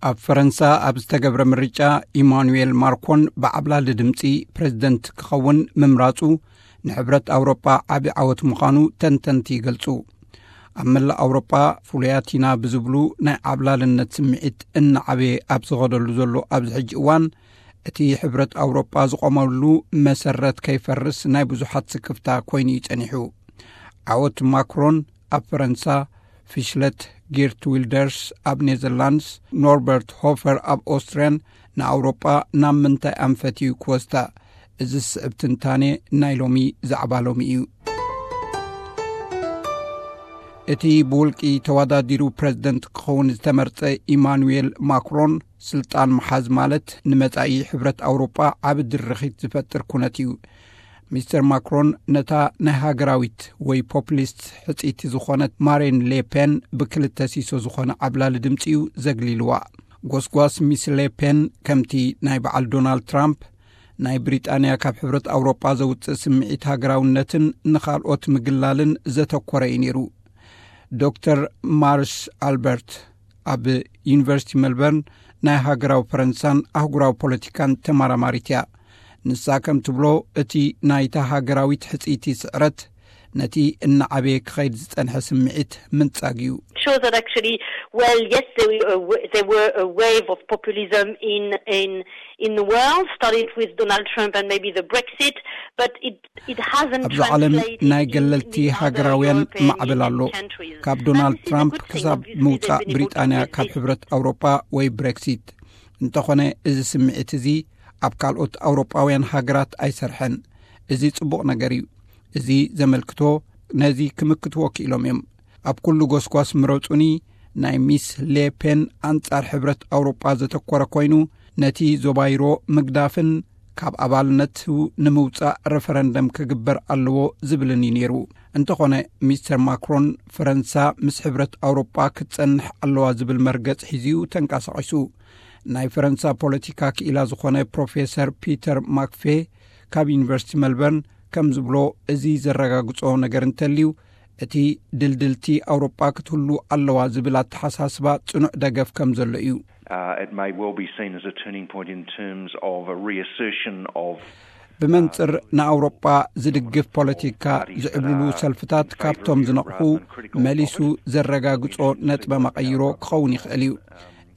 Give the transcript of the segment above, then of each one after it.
ኣብ ፈረንሳ ኣብ ዝተገብረ ምርጫ ኢማኑኤል ማክሮን ብዓብላሊ ድምፂ ፕሬዝደንት ክኸውን ምምራፁ ንሕብረት ኣውሮጳ ዓቢ ዓወት ምዃኑ ተንተንቲ ይገልጹ። ኣብ መላእ ኣውሮጳ ፍሉያት ኢና ብዝብሉ ናይ ዓብላልነት ስምዒት እናዓበየ ኣብ ዝኸደሉ ዘሎ ኣብዚ ሕጂ እዋን፣ እቲ ሕብረት ኣውሮጳ ዝቖመሉ መሰረት ከይፈርስ ናይ ብዙሓት ስክፍታ ኮይኑ እዩ ጸኒሑ። ዓወት ማክሮን ኣብ ፈረንሳ፣ ፊሽለት ጊርት ዊልደርስ ኣብ ኔዘርላንድስ፣ ኖርበርት ሆፈር ኣብ ኦስትርያን ንኣውሮጳ ናብ ምንታይ ኣንፈት እዩ ክወስዳ? እዚ ዝስዕብ ትንታኔ ናይ ሎሚ ዛዕባ ሎሚ እዩ። እቲ ብውልቂ ተወዳዲሩ ፕሬዝደንት ክኸውን ዝተመርጸ ኢማኑኤል ማክሮን፣ ስልጣን ምሓዝ ማለት ንመጻኢ ሕብረት ኣውሮጳ ዓቢ ድርኺት ዝፈጥር ኩነት እዩ። ሚስተር ማክሮን ነታ ናይ ሃገራዊት ወይ ፖፕሊስት ሕጽይቲ ዝኾነት ማሪን ሌፔን ብክልተ ሲሶ ዝኾነ ዓብላሊ ድምጺ እዩ ዘግሊልዋ። ጎስጓስ ሚስ ሌፔን ከምቲ ናይ በዓል ዶናልድ ትራምፕ ናይ ብሪጣንያ ካብ ሕብረት ኣውሮጳ ዘውጽእ ስምዒት ሃገራውነትን ንኻልኦት ምግላልን ዘተኮረ እዩ ነይሩ። ዶክተር ማርሽ ኣልበርት ኣብ ዩኒቨርሲቲ ሜልበርን ናይ ሃገራዊ ፈረንሳን ኣህጉራዊ ፖለቲካን ተመራማሪት እያ። ንሳ ከም ትብሎ፣ እቲ ናይታ ሃገራዊት ሕጽይቲ ስዕረት ነቲ እናዓበየ ክኸይድ ዝጸንሐ ስምዒት ምንጻግ እዩ። Shows that actually, well, yes, there were a, w- there were a wave of populism in in in the world. Started with Donald Trump and maybe the Brexit, but it it hasn't ኣብዚ ዓለም translated ናይ in ገለልቲ the other ሃገራውያን European ማዕበል ኣሎ። Union countries. ካብ And ዶናልድ this is a ትራምፕ good thing, ክሳብ obviously, they've ምውጻእ been able to ብሪጣንያ ካብ resist. ሕብረት ኣውሮጳ ወይ ብሬክሲት። እንተኾነ፣ እዚ ስምዒት እዚ ኣብ ካልኦት ኣውሮጳውያን ሃገራት ኣይሰርሐን። እዚ ጽቡቕ ነገር እዩ። እዚ ዘመልክቶ፣ ነዚ ክምክትዎ ክኢሎም እዮም። ኣብ ኩሉ ጎስጓስ ምረጹኒ ናይ ሚስ ሌፔን ኣንጻር ሕብረት ኣውሮጳ ዘተኮረ ኮይኑ፣ ነቲ ዞባ ዩሮ ምግዳፍን ካብ ኣባልነቱ ንምውጻእ ረፈረንደም ክግበር ኣለዎ ዝብልን እዩ ነይሩ። እንተኾነ፣ ሚስተር ማክሮን ፈረንሳ ምስ ሕብረት ኣውሮጳ ክትጸንሕ ኣለዋ ዝብል መርገጽ ሒዙ ተንቀሳቒሱ። ናይ ፈረንሳ ፖለቲካ ክኢላ ዝኾነ ፕሮፌሰር ፒተር ማክፌ ካብ ዩኒቨርሲቲ ሜልበርን ከም ዝብሎ፣ እዚ ዘረጋግጾ ነገር እንተልዩ፣ እቲ ድልድልቲ ኣውሮጳ ክትህሉ ኣለዋ ዝብል ኣተሓሳስባ ጽኑዕ ደገፍ ከም ዘሎ እዩ። Uh, it may well be seen as a turning point in terms of a reassertion of ብመንጽር ንኣውሮጳ ዝድግፍ ፖለቲካ ዝዕብልሉ ሰልፍታት ካብቶም ዝነቕፉ መሊሱ ዘረጋግጾ ነጥበ መቐይሮ ክኸውን ይኽእል እዩ።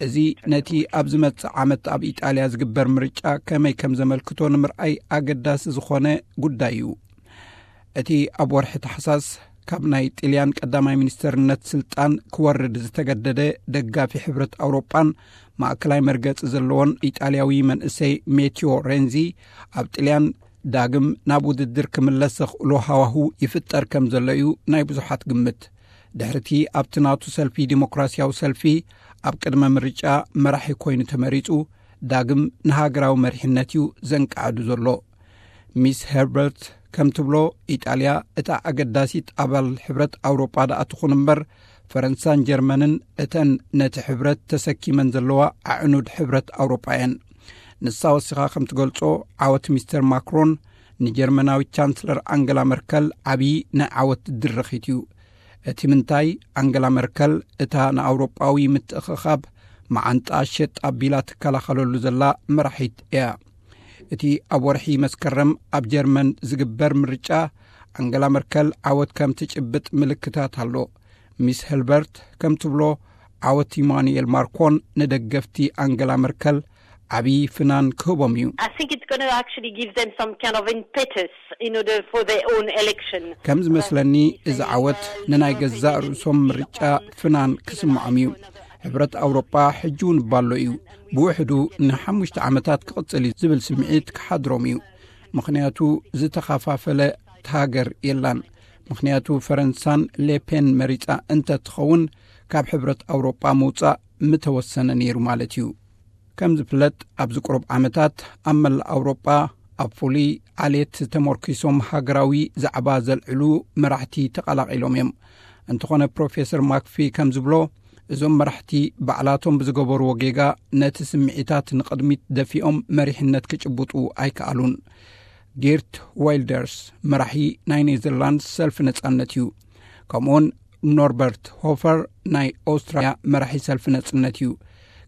እዚ ነቲ ኣብ ዝመጽእ ዓመት ኣብ ኢጣልያ ዝግበር ምርጫ ከመይ ከም ዘመልክቶ ንምርኣይ ኣገዳሲ ዝኾነ ጉዳይ እዩ። እቲ ኣብ ወርሒ ታሕሳስ ካብ ናይ ጥልያን ቀዳማይ ሚኒስተርነት ስልጣን ክወርድ ዝተገደደ ደጋፊ ሕብረት ኣውሮጳን ማእከላይ መርገጺ ዘለዎን ኢጣልያዊ መንእሰይ ሜቲዮ ሬንዚ፣ ኣብ ጥልያን ዳግም ናብ ውድድር ክምለስ ዘኽእሎ ሃዋሁ ይፍጠር ከም ዘሎ እዩ ናይ ብዙሓት ግምት። ድሕርቲ ኣብቲ ናቱ ሰልፊ ዲሞክራሲያዊ ሰልፊ ኣብ ቅድመ ምርጫ መራሒ ኮይኑ ተመሪጹ፣ ዳግም ንሃገራዊ መሪሕነት እዩ ዘንቃዕዱ ዘሎ። ሚስ ሄርበርት ከም ትብሎ፣ ኢጣልያ እታ ኣገዳሲት ኣባል ሕብረት ኣውሮጳ ደኣ ትኹን እምበር፣ ፈረንሳን ጀርመንን እተን ነቲ ሕብረት ተሰኪመን ዘለዋ ኣዕኑድ ሕብረት ኣውሮጳ እየን። ንሳ ወሲኻ ከም ትገልጾ፣ ዓወት ሚስተር ማክሮን ንጀርመናዊት ቻንስለር ኣንገላ መርከል ዓብዪ ናይ ዓወት ድርኺት እዩ። እቲ ምንታይ፣ ኣንገላ መርከል እታ ንኣውሮጳዊ ምትእኽኻብ መዓንጣ ሸጥ ኣቢላ ትከላኸለሉ ዘላ መራሒት እያ። እቲ ኣብ ወርሒ መስከረም ኣብ ጀርመን ዝግበር ምርጫ፣ ኣንገላ መርከል ዓወት ከም ትጭብጥ ምልክታት ኣሎ። ሚስ ሄርበርት ከም ትብሎ፣ ዓወት ኢማኑኤል ማክሮን ንደገፍቲ ኣንገላ መርከል ዓብዪ ፍናን ክህቦም እዩ። I think it's going to actually give them some kind of impetus in order for their own election. ከም ዝመስለኒ፣ እዚ ዓወት ንናይ ገዛእ ርእሶም ምርጫ ፍናን ክስምዖም እዩ። ሕብረት ኣውሮጳ ሕጂ እውን ባሎ እዩ። ብውሕዱ ንሓሙሽተ ዓመታት ክቕጽል እዩ ዝብል ስምዒት ክሓድሮም እዩ። ምኽንያቱ፣ ዝተኸፋፈለት ሃገር የላን። ምኽንያቱ፣ ፈረንሳን ሌፔን መሪጻ እንተትኸውን፣ ካብ ሕብረት ኣውሮጳ ምውጻእ ምተወሰነ ነይሩ ማለት እዩ። ከም ዝፍለጥ፣ ኣብዚ ቁሩብ ዓመታት ኣብ መላእ ኣውሮጳ ኣብ ፍሉይ ዓሌት ተመርኪሶም ሃገራዊ ዛዕባ ዘልዕሉ መራሕቲ ተቐላቒሎም እዮም። እንተኾነ፣ ፕሮፌሰር ማክፊ ከም ዝብሎ፣ እዞም መራሕቲ ባዕላቶም ብዝገበርዎ ጌጋ ነቲ ስምዒታት ንቕድሚት ደፊኦም መሪሕነት ክጭብጡ ኣይከኣሉን። ጌርት ዋይልደርስ መራሒ ናይ ኔዘርላንድስ ሰልፊ ነጻነት እዩ። ከምኡውን ኖርበርት ሆፈር ናይ ኦስትርያ መራሒ ሰልፊ ነጻነት እዩ።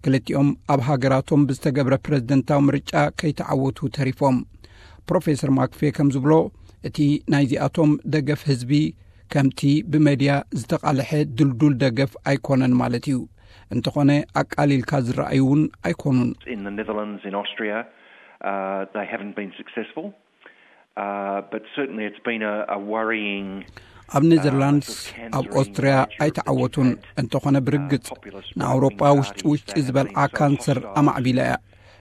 ክልቲኦም ኣብ ሃገራቶም ብዝተገብረ ፕረዚደንታዊ ምርጫ ከይተዓወቱ ተሪፎም። ፕሮፌሰር ማክፌ ከም ዝብሎ፣ እቲ ናይዚኣቶም ደገፍ ህዝቢ ከምቲ ብመድያ ዝተቓልሐ ድልዱል ደገፍ ኣይኮነን ማለት እዩ። እንተኾነ ኣቃሊልካ ዝረኣዩ እውን ኣይኮኑን። In the Netherlands, in Austria, uh, they haven't been successful, uh, but certainly it's been a, a worrying. ኣብ ኔዘርላንድስ፣ ኣብ ኦስትሪያ ኣይተዓወቱን። እንተኾነ ብርግጽ ንኣውሮጳ ውሽጢ ውሽጢ ዝበልዓ ካንሰር ኣማዕቢላ እያ።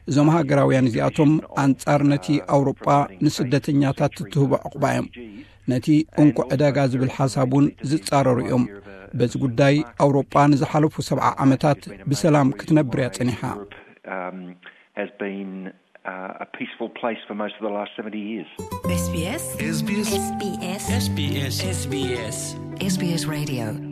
እዞም ሃገራውያን እዚኣቶም ኣንጻር ነቲ ኣውሮጳ ንስደተኛታት ትትህቦ ዕቑባ እዮም። ነቲ እንኮ ዕዳጋ ዝብል ሓሳብ እውን ዝጻረሩ እዮም። በዚ ጉዳይ ኣውሮጳ ንዝሓለፉ ሰብዓ ዓመታት ብሰላም ክትነብር እያ ጸኒሓ። Um, has been uh, a peaceful place for most of the last seventy years. SBS SBS SBS SBS SBS SBS Radio